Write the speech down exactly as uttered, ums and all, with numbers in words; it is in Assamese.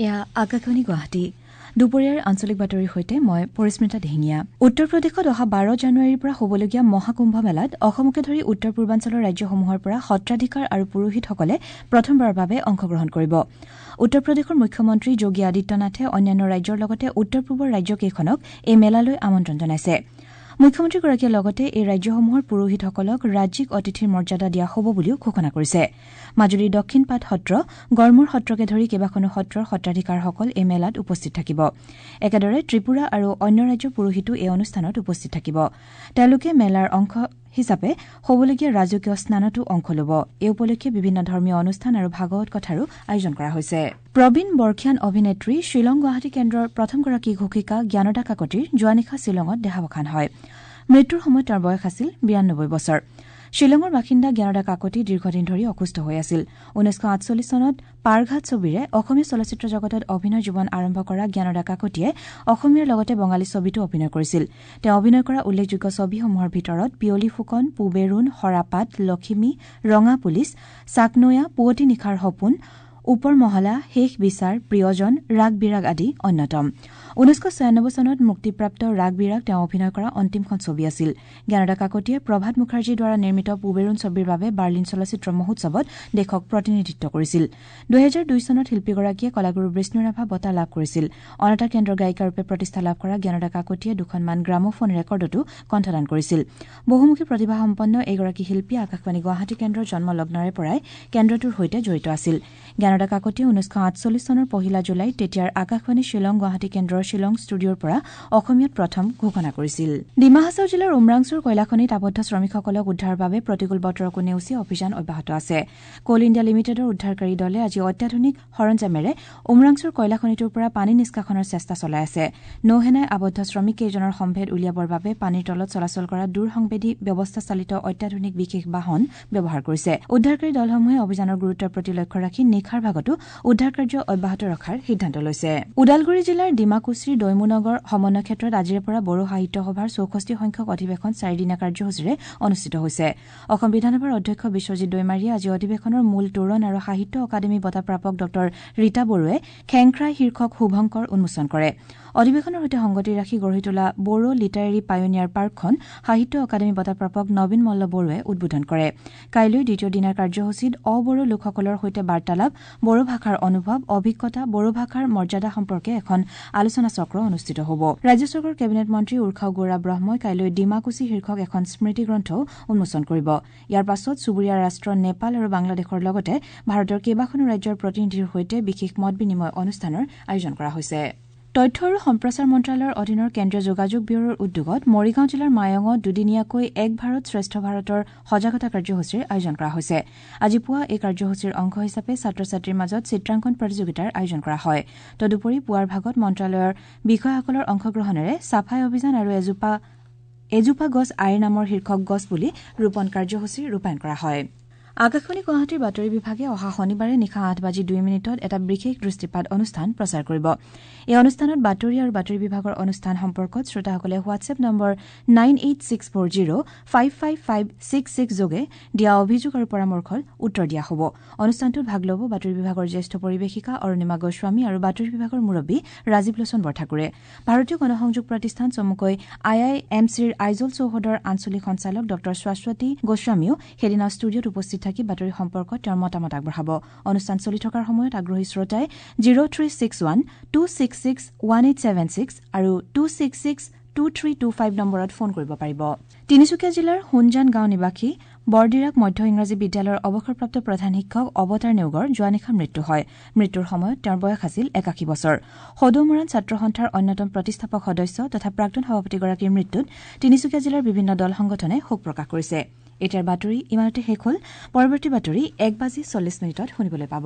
এয়া আকাশবাণী গুৱাহাটী। দুপৰীয়াৰ আঞ্চলিক বাতৰিৰ সৈতে মই পৰিস্মিতা দিহিঙীয়া। উত্তৰ প্ৰদেশত অহা বাৰ জানুৱাৰীৰ পৰা হ'বলগীয়া মহাকুম্ভ মেলাত অসমকে ধৰি উত্তৰ পূৰ্বাঞ্চলৰ ৰাজ্যসমূহৰ পৰা সত্ৰাধিকাৰ আৰু পুৰোহিতসকলে প্ৰথমবাৰৰ বাবে অংশগ্ৰহণ কৰিব। উত্তৰ প্ৰদেশৰ মুখ্যমন্ত্ৰী যোগী আদিত্যনাথে অন্যান্য ৰাজ্যৰ লগতে উত্তৰ পূবৰ ৰাজ্যকেইখনক এই মেলালৈ আমন্ত্ৰণ জনাইছে। মুখ্যমন্ত্ৰীগৰাকীয়ে লগতে এই ৰাজ্যসমূহৰ পুৰোহিতসকলক ৰাজ্যিক অতিথিৰ মৰ্যাদা দিয়া হ'ব বুলিও ঘোষণা কৰিছে। মাজুলীৰ দক্ষিণপাট সত্ৰ, গড়মূৰ সত্ৰকে ধৰি কেইবাখনো সত্ৰৰ সত্ৰাধিকাৰসকল এই মেলাত উপস্থিত থাকিব। একেদৰে ত্ৰিপুৰা আৰু অন্য ৰাজ্যৰ পুৰোহিতো এই অনুষ্ঠানত উপস্থিত থাকিব। তেওঁলোকে মেলাৰ অংশ হিচাপে হ'বলগীয়া ৰাজকীয় স্নানতো অংশ ল'ব। এই উপলক্ষে বিভিন্ন ধৰ্মীয় অনুষ্ঠান আৰু ভাগৱত কথাৰো আয়োজন কৰা হৈছে। প্ৰবীণ বৰ্ষীয়ান অভিনেত্ৰী শ্বিলং গুৱাহাটী কেন্দ্ৰৰ প্ৰথমগৰাকী ঘোষিকা জ্ঞানদা কাকতিৰ যোৱা নিশা শ্বিলঙত দেহাৱসান হয়। মৃত্যুৰ সময়ত তেওঁৰ বয়স আছিল বিৰান্নব্বৈ বছৰ। শ্বিলঙৰ বাসিন্দা জ্ঞানদা কাকতি দীৰ্ঘদিন ধৰি অসুস্থ হৈ আছিল। ঊনৈছশ আঠচল্লিছ চনত পাৰঘাট ছবিৰে অসমীয়া চলচ্চিত্ৰ জগতত অভিনয় জীৱন আৰম্ভ কৰা জ্ঞানদা কাকতিয়ে অসমীয়াৰ লগতে বঙালী ছবিতো অভিনয় কৰিছিল। তেওঁ অভিনয় কৰা উল্লেখযোগ্য ছবিসমূহৰ ভিতৰত পিয়লি ফুকন, পুবেৰুণ, সৰাপাত, লখিমী, ৰঙা পুলিচ, চাকনৈয়া, পুৱতি নিশাৰ সপোন, ওপৰ মহলা, শেষ বিচাৰ, প্ৰিয়জন, ৰাগ বিৰাগ আদি অন্যতম। ঊনৈছশ ছয়ানব্বৈ চনত মুক্তিপ্ৰাপ্ত ৰাগ বিৰাগ তেওঁ অভিনয় কৰা অন্তিমখন ছবি আছিল। জ্ঞানদা কাকতিয়ে প্ৰভাত মুখাৰ্জীৰ দ্বাৰা নিৰ্মিত পুবেৰুণ ছবিৰ বাবে বাৰ্লিন চলচ্চিত্ৰ মহোৎসৱত দেশক প্ৰতিনিধিত্ব কৰিছিল। দুহেজাৰ দুই চনত শিল্পীগৰাকীয়ে কলাগুৰু বিষ্ণুৰাভা বঁটা লাভ কৰিছিল। অনতা কেন্দ্ৰৰ গায়িকাৰূপে প্ৰতিষ্ঠা লাভ কৰা জ্ঞানদা কাকতিয়ে দুখনমান গ্ৰামোফোন ৰেকৰ্ডতো কণ্ঠদান কৰিছিল। বহুমুখী প্ৰতিভাসম্পন্ন এইগৰাকী শিল্পী আকাশবাণী গুৱাহাটী কেন্দ্ৰৰ জন্মলগ্নৰে পৰাই কেন্দ্ৰটোৰ সৈতে জড়িত আছিল। জ্ঞানদা কাকতিয়ে ঊনৈছশ আঠচল্লিছ চনৰ পহিলা জুলাইত তেতিয়াৰ আকাশবাণী শ্বিলং গুৱাহাটী কেন্দ্ৰৰ শ্বিলং ষ্টুডিঅ'ৰ পৰা অসমীয়াত প্ৰথম ঘোষণা কৰিছিল। ডিমা হাছাও জিলাৰ উমৰাংচুৰ কয়লাখনিত আবদ্ধ শ্ৰমিকসকলক উদ্ধাৰৰ বাবে প্ৰতিকূল বতৰকো নেওচি অভিযান অব্যাহত আছে। কোল ইণ্ডিয়া লিমিটেডৰ উদ্ধাৰকাৰী দলে আজি অত্যাধুনিক সৰঞ্জামেৰে উমৰাংচুৰ কয়লাখনিটোৰ পৰা পানী নিষ্কাশনৰ চেষ্টা চলাই আছে। নৌসেনাই আবদ্ধ শ্ৰমিককেইজনৰ সম্ভেদ উলিয়াবৰ বাবে পানীৰ তলত চলাচল কৰা দূৰসংবেদী ব্যৱস্থাচালিত অত্যাধুনিক বিশেষ বাহন ব্যৱহাৰ কৰিছে। উদ্ধাৰকাৰী দলসমূহে অভিযানৰ গুৰুত্বৰ প্ৰতি লক্ষ্য ৰাখি নিশাৰ ভাগতো উদ্ধাৰ কাৰ্য অব্যাহত ৰখাৰ সিদ্ধান্ত লৈছে। ওদালগুৰি জিলাৰ ডিমাকুছিৰ দৈমুনগৰ সমন্বয় ক্ষেত্ৰত আজিৰে পৰা বড়ো সাহিত্য সভাৰ চৌষষ্ঠি সংখ্যক অধিৱেশন চাৰিদিনীয়া কাৰ্যসূচীৰে অনুষ্ঠিত হৈছে। অসম বিধানসভাৰ অধ্যক্ষ বিশ্বজিৎ দৈমাৰীয়ে আজি অধিৱেশনৰ মূল তোৰণ আৰু সাহিত্য অকাডেমী বঁটাপ্ৰাপক ডঃ ৰীতা বড়োৱে খেংখ্ৰাই শীৰ্ষক শুভংকৰ উন্মোচন কৰে। অধিৱেশনৰ সৈতে সংগতি ৰাখি গঢ়ি তোলা বড়ো লিটাৰেৰী পায়োনিয়াৰ পাৰ্কখন সাহিত্য অকাডেমী বঁটাপ্ৰাপক নবীন মল্ল বড়োৱে উদ্বোধন কৰে। কাইলৈ দ্বিতীয় দিনাৰ কাৰ্যসূচীত অবড়ো লোকসকলৰ সৈতে বাৰ্তালাপ, বড়ো ভাষাৰ অনুভৱ, অভিজ্ঞতা, বড়ো ভাষাৰ মৰ্যাদা সম্পৰ্কে এখন আলোচনা চক্ৰ অনুষ্ঠিত হ'ব। ৰাজ্য চৰকাৰৰ কেবিনেট মন্ত্ৰী উৰ্খাও গৌৰা ব্ৰহ্মই কাইলৈ ডিমাকুছি শীৰ্ষক এখন স্মৃতিগ্ৰন্থও উন্মোচন কৰিব। ইয়াৰ পাছত চুবুৰীয়া ৰাষ্ট্ৰ নেপাল আৰু বাংলাদেশৰ লগতে ভাৰতৰ কেইবাখনো ৰাজ্যৰ প্ৰতিনিধিৰ সৈতে বিশেষ মত বিনিময় অনুষ্ঠানৰ আয়োজন কৰা হৈছে। তথ্য আৰু সম্প্ৰচাৰ মন্ত্ৰালয়ৰ অধীনৰ কেন্দ্ৰীয় যোগাযোগ ব্যুৰোৰ উদ্যোগত মৰিগাঁও জিলাৰ মায়ঙত দুদিনীয়াকৈ এক ভাৰত শ্ৰেষ্ঠ ভাৰতৰ সজাগতা কাৰ্যসূচীৰ আয়োজন কৰা হৈছে। আজি পুৱা এই কাৰ্যসূচীৰ অংশ হিচাপে ছাত্ৰ ছাত্ৰীৰ মাজত চিত্ৰাংকন প্ৰতিযোগিতাৰ আয়োজন কৰা হয়। তদুপৰি পুৱাৰ ভাগত মন্ত্ৰালয়ৰ বিষয়াসকলৰ অংশগ্ৰহণেৰে চাফাই অভিযান আৰু এজোপা এজোপা গছ আইৰ নামৰ শীৰ্ষক গছ পুলি ৰোপণ কাৰ্যসূচী ৰূপায়ণ কৰা হয়। আকাশবাণী গুৱাহাটীৰ বাতৰি বিভাগে অহা শনিবাৰে নিশা আঠ বাজি দুই মিনিটত এটা বিশেষ দৃষ্টিপাত অনুষ্ঠান প্ৰচাৰ কৰিব। এই অনুষ্ঠানত বাতৰি আৰু বাতৰি বিভাগৰ অনুষ্ঠান সম্পৰ্কত শ্ৰোতাসকলে WhatsApp number nine eight six four zero five five five six six যোগে দিয়া অভিযোগ আৰু পৰামৰ্শৰ উত্তৰ দিয়া হ'ব। অনুষ্ঠানটোত ভাগ ল'ব বাতৰি বিভাগৰ জ্যেষ্ঠ পৰিৱেশিকা অৰুণিমা গোস্বামী আৰু বাতৰি বিভাগৰ মুৰব্বী ৰাজীৱ লোচন বৰঠাকুৰে। ভাৰতীয় গণসংযোগ প্ৰতিষ্ঠান চমুকৈ আই I am চিৰ আইজল চৌহদৰ আঞ্চলিক সঞ্চালক ডঃ শাশ্বতী গোস্বামীও সেইদিনা ষ্টুডিঅ'ত উপস্থিত থাকি বাতৰি সম্পৰ্কত তেওঁৰ মতামত আগবঢ়াব। অনুষ্ঠান চলি থকাৰ সময়ত আগ্ৰহী শ্ৰোতাই zero three six one two six six one eight seven six আৰু two six six two three two five নম্বৰত ফোন কৰিব পাৰিব। তিনিচুকীয়া জিলাৰ সোণজান গাঁও নিবাসী বৰডিৰাক মধ্য ইংৰাজী বিদ্যালয়ৰ অৱসৰপ্ৰাপ্ত প্ৰধান শিক্ষক অৱতাৰ নেওগৰ যোৱা নিশা মৃত্যু হয়। মৃত্যুৰ সময়ত তেওঁৰ বয়স আছিল একাশী বছৰ। সদৌ মৰাণ ছাত্ৰ সন্থাৰ অন্যতম প্ৰতিষ্ঠাপক সদস্য তথা প্ৰাক্তন সভাপতিগৰাকীৰ মৃত্যুত তিনিচুকীয়া জিলাৰ বিভিন্ন দল সংগঠনে শোক প্ৰকাশ কৰিছে। এতিয়াৰ বাতৰি ইমানতে শেষ হ'ল। পৰৱৰ্তী বাতৰি এক বাজি চল্লিছ মিনিটত শুনিবলৈ পাব।